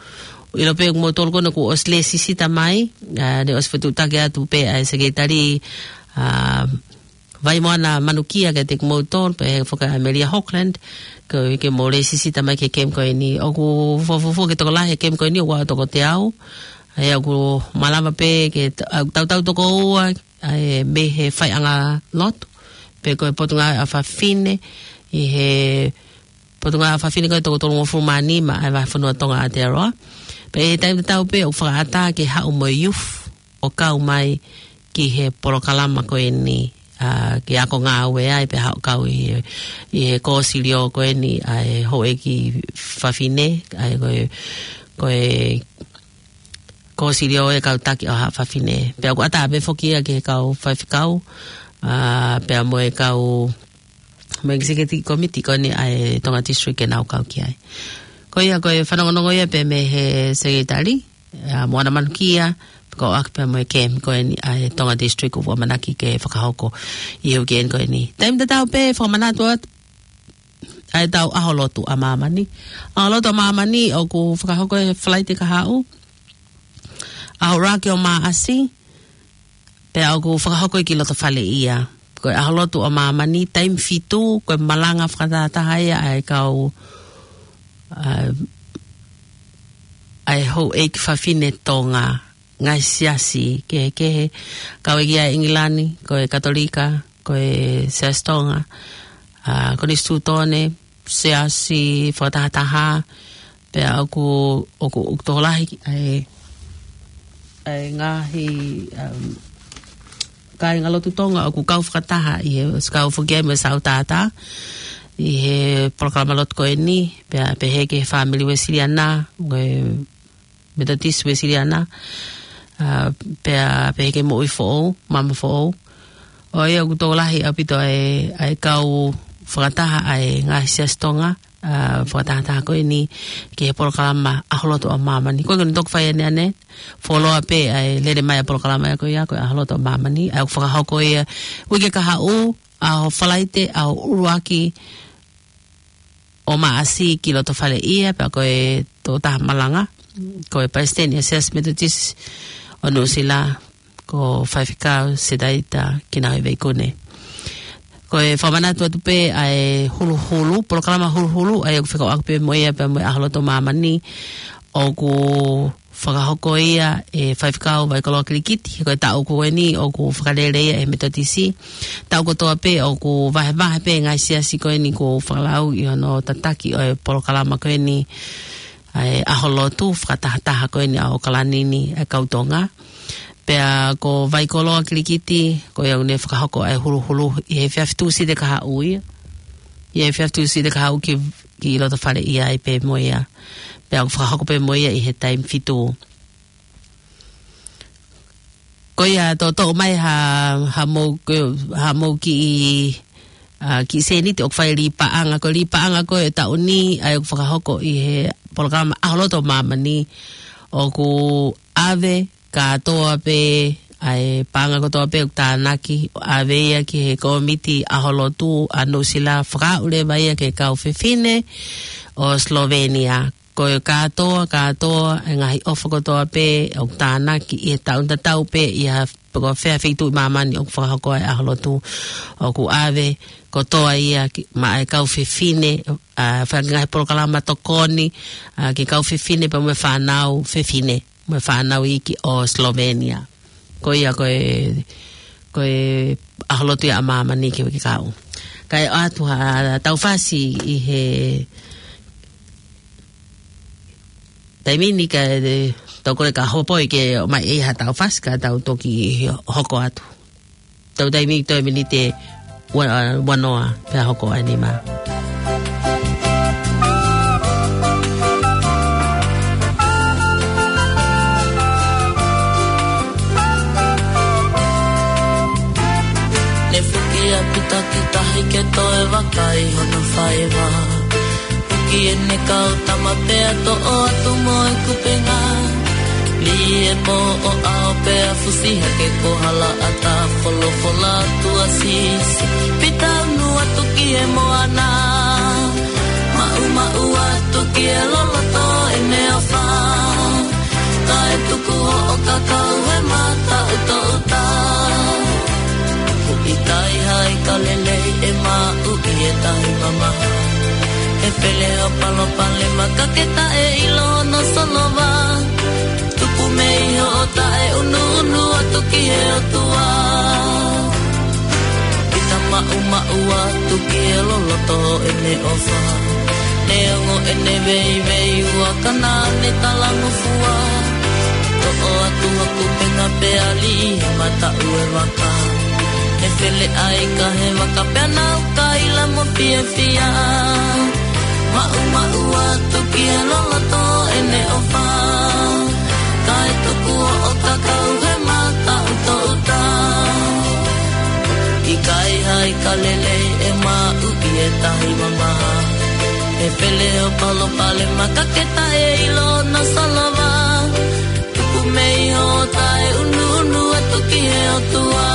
ʻilo pē ʻoku mou tolu kona kuo ʻosi lēsisita mai, ʻa, ne ʻosi fetuʻutaki atu pē ʻa e Sekelitali, ʻa, Vaimoana Manukia kiate kimoutolu, pea ʻe foki ʻa Amelia Hawkland, ke, ke mou lēsisita mai ki he Kemi ko eni. ʻOku fuofua ke tokolahi he Kemi ko eni, ʻoku ʻi ai ʻa e toko teau, ʻa ia ʻoku malava pē ke ta-, ʻa, tautau toko ua, ʻa e mei he faiʻanga lotu, pe ko e Potungāue ʻa Fafine, ʻi he Potungāue ʻa Fafine ko e toko tolungofulu mā nima ʻa e vahefonua Tonga ʻa Aotearoa. Pea ʻi he taimi tatau pē ʻoku fakaʻatā ke haʻu mo e youth ʻo kau mai ki he polokalama ko eni, ʻa, ke ako ngāue ai pea haʻu ʻo kau ʻi he, ʻi he kōsilio ko eni ʻa e Houʻeiki Fafine, ʻa e ko e, ko e kōsilio ʻa e kau taki ʻo Haʻa Fafine. Pea ʻoku ʻatā pē foki ia ki he kau faifekau, ʻa, pea mo e kau, mo e executive committee ko eni ʻa e Tonga District ke nau kau ki ai. Ko ia ko e fanongonongo ia pē mei he Sekelitali, ʻa, Moana Manukia, ko ʻaki pea mo e Kemi ko eni ʻa e Tonga District ʻoku ʻamanaki ke fakahoko ʻi he uike ko eni. Taimi tatau pē fakamanatu atu ʻa ʻetau ʻAho Lotu ʻa Māmani. ʻAho Lotu ʻa Māmani ʻoku fakahoko he Falaite kahaʻu, ʻaho ʻuluaki ʻo Māʻasi, pea ʻoku fakahoko ia ki loto fale ia. Ko e ʻAho Lotu ʻa Māmani, taimi fitu, ko e malanga fakatahataha ia ʻa e kau, ʻa, ʻa e Houʻeiki Fafine Tonga, ngaahi siasi kehekehe, kau ia ʻi ʻIngilani, ko e Katolika, ko e Siasi Tonga, ʻa, Konisitūtone, siasi fakatahataha, pea ʻoku, ʻoku, ʻoku tokolahi ʻa e, ʻa e ngaahi, um, kāinga lotu Tonga ʻoku kau fakataha ʻi he, ʻosi kau foki ai mo e Sautaata ʻi he polokalama lotu ko eni, pea pehē ki he fāmili Uēsiliana, ko e Metotisi Uēsiliana, ʻa, pea pehē ki he moʻui foʻou, maama foʻou. ʻA ia ʻoku tokolahi ʻaupito ʻa e, ʻa e kau fakataha ʻa e ngaahi siasi Tonga, ʻa, fakatahataha ko eni ki he polokalama ʻAho Lotu ʻa Māmani. Ko e ngaahi toki fai ʻaneʻane, fuoloa pē ʻa e lele mai ʻa e polokalama ia ko ia, ko e ʻAho Lotu ʻa Māmani, ʻa ia ʻoku fakahoko ia uike kahaʻu, ʻaho Falaite, ʻaho ʻuluaki ʻo Māʻasi ki loto fale ia, pea ko e tokotaha malanga, ko e Palesiteni ʻa e Siasi Metotisi ʻo Nuʻusila, ko Faifekau Sedaita Kinahoeveikune. Ko e fakamanatu atu pē ʻa e huluhulu, polokalama huluhulu, ʻa ia ʻoku fekauʻaki pē mo ia pea mo e ʻAho Lotu ʻa Māmani, ʻoku fakahoko ia ʻe Faifekau Vaikoloa Kilikiti, ko e taʻu ko eni ʻoku fakalele ia ʻe he Metotisi. Taʻu kotoa pē ʻoku vahevahe pē ngaahi siasi ko eni kuo fakalau ʻi hono tataki ʻo e polokalama ko eni, ʻa e ʻAho Lotu fakatahataha ko eni ʻa ʻAokalani ni, ʻa e kau Tonga. Pea ko Vaikoloa Kilikiti, ko ia ʻoku ne fakahoko ʻa e huluhulu ʻi he efiafi Tūsite kahaʻu ia. ʻI he efiafi Tūsite kahaʻu ki, ki loto fale ia ai pē mo ia. Pea ʻoku fakahoko pē mo ia ʻi he taimi fitu. Ko ia toʻotoʻo mai ha, ha mou, ko, ha mou kiʻi, ʻa, kiʻi sēniti ʻoku fai lī paʻanga. Ko e lī paʻanga ko e taʻu ni, ʻa ia ʻoku fakahoko ʻi he polokalama ʻAho Lotu ʻa Māmani, ʻoku ʻave kātoa pē ʻa e paʻanga kotoa pē ʻoku tānaki, ʻave ia ki he kōmiti ʻaho lotu ʻa Nuʻusila, fakaaʻu leva ia ki he kau fefine ʻo Slovenia. Ko e kātoa, kātoa e ngaahi ʻofa kotoa pē ʻoku tānaki ʻi he taʻu tatau pē ʻi ha, pe ko fē feituʻu ʻi māmani ʻoku fakahoko ai ʻaho lotu, ʻoku ʻave kotoa ia ki, maʻa e kau fefine, ʻa, fai ngaahi polokalama tokoni, ʻa, ki he kau fefine pea mo e fānau fefine mo e fānau iiki ʻo Slovenia. Ko ia ko e, ko e ʻaho lotu ia ʻa māmani ki he uike kahaʻu. Kae ʻoatu ha taufasi ʻi he taimi ni, ka tau kole ka hopoi ke ʻomai ʻe ha taufasi ka tau toki hoko atu. Tau taimi toe miniti ua, ua noa pea hoko ʻa e nima. Ne fuki ʻa Pita ki tahi ke toe vakai hono faiva. Fuki ʻene kau tama pea toʻo atu mo e kupenga. Lī e pō ʻo ʻao pea fusi hake ko hala ʻata, folofola atu ʻa Sīsū: Pita, unu atu ki he moana. Maʻumaʻu atu ki he loloto ʻene ʻofa. Kae tuku hoʻo kakau he mataʻu toʻuta. ʻOku ʻikai ha ika lelei ʻe maʻu ʻi he tahi mamaha. He pele hoʻo palopalema ka ke taʻeʻilo hono solova. Tupu mei hoʻo taʻeunuunu atu ki he ʻOtua. Pita, maʻumaʻu atu ki he loloto ʻene ʻofa. Neongo ʻene veiveiua ka naʻa ne talangofua. Toʻo atu ha kupenga pea lī he mataʻu e vaka. Ne fele ʻa e ika he vaka pea nau kaila mo fiefia. Maʻumaʻu atu ki he loloto ʻene ʻofa. Kae tuku hoʻo kakau he mataʻu toʻuta. ʻIkai ha ika lelei ʻe maʻu ʻi he tahi mamaha. He pele hoʻo palopalema ka ke taʻeʻilo hono solova. Tupu mei hoʻo taʻeunuunu atu ki he ʻOtua.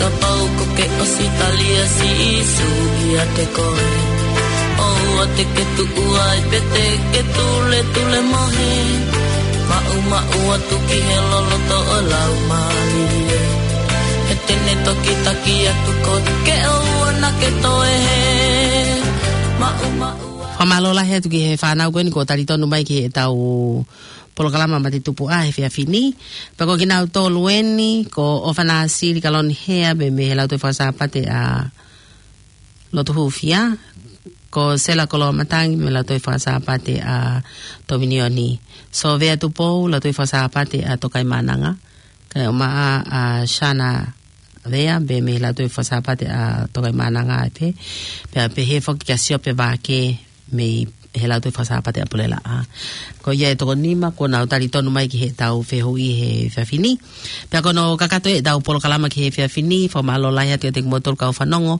Kapau ʻoku ke ʻosi tali ʻa Sīsū ʻiate koe, ʻoua te ke tuʻu ai pea te ke tuletule mohe. Maʻumaʻu atu ki he loloto ʻo e Laumālie. He te ne toki taki atu koe ke ʻoua naʻa ke toe hē. Maʻumaʻu atu. Fakamālō lahi atu ki he fānau ko eni kuo talitonu mai ki heʻetau polokalama Mate Tupu ʻa e efiafi ni. Pea ko kinautolu eni, ko ʻOfana Sili Kaloni Hea, mei he Lautohi Fakasāpate ʻa Lotu Hūfia, ko Sela Koloamatangi, mei he Lautohi Fakasāpate ʻa Tōminioni, Sōvea Tupou, Lautohi Fakasāpate ʻa Tokaimaʻananga, kae ʻumaʻā ʻa Shana Vea, pea mei he Lautohi Fakasāpate ʻa Tokaimaʻananga ai pē, pea pehē foki kia Siope Vake, mei he Lautohi Fakasāpate ʻa Pulelaʻa. Ko ia e toko nima kuo nau talitonu mai ki heʻetau fehuʻi he efiafi ni. Pea ko hono kakato ʻetau polokalama ki he efiafi ni, fakamālō lahi atu kiate kimoutolu kau fanongo.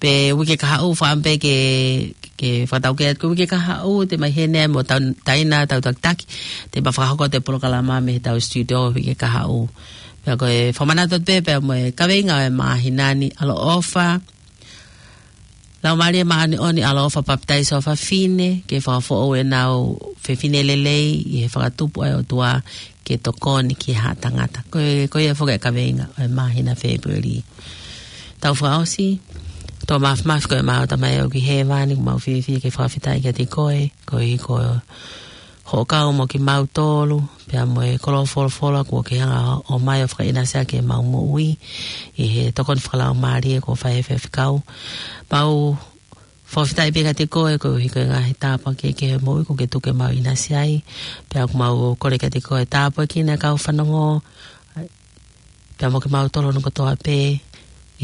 Pea uike kahaʻu fakaʻamu pē ke, ke fakataukei atu, ko e uike kahaʻu te mei heni mo tau, taina tau takitaki, te ma fakahoko ʻetau polokalama mei heʻetau studio uike kahaʻu. Pea ko e fakamanatu atu pē, pea mo e kaveinga ʻo e māhina ni, ʻaloʻofa, Laumālie Māʻoniʻoni, ʻaloʻofa, papitaiso ʻa fafine, ke fakafoʻou ʻenau fefine lelei ʻi he fakatupu ʻa e ʻOtua ke tokoni ki he haʻa tangata. Ko e, ko ia foki e kaveinga ʻo e māhina Fēpueli. Tau fakaʻosi, tō māfimafi ko e mau Tamai ʻoku ʻi hēvani, ʻoku mau fiefia ke fakafetaʻi kiate koe, koeʻuhi ko hoʻo kau mo kimautolu, pea mo e kolo folofola kuo ke hanga ʻo mai ʻo fakaʻinasi ʻaki ʻemau moʻui, ʻi he tokoni fakalaumālie kuo fai ʻe he faifekau. Mau fakafetaʻi pē kiate koe koeʻuhi ko e ngaahi tāpuaki kehekehe ʻo e moʻui kuo ke tuku ke mau ʻinasi ai, pea ʻoku mau kole kiate koe tāpuakiʻi ʻa e kau fanongo, pea mo kimautolu hono kotoa pē,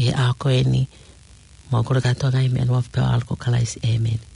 ʻi he ʻaho ko eni, mau kole kātoa ngaahi meʻa ni ʻi he huafa pē ʻo ho ʻAlo ko Kalaisi, ʻēmeni.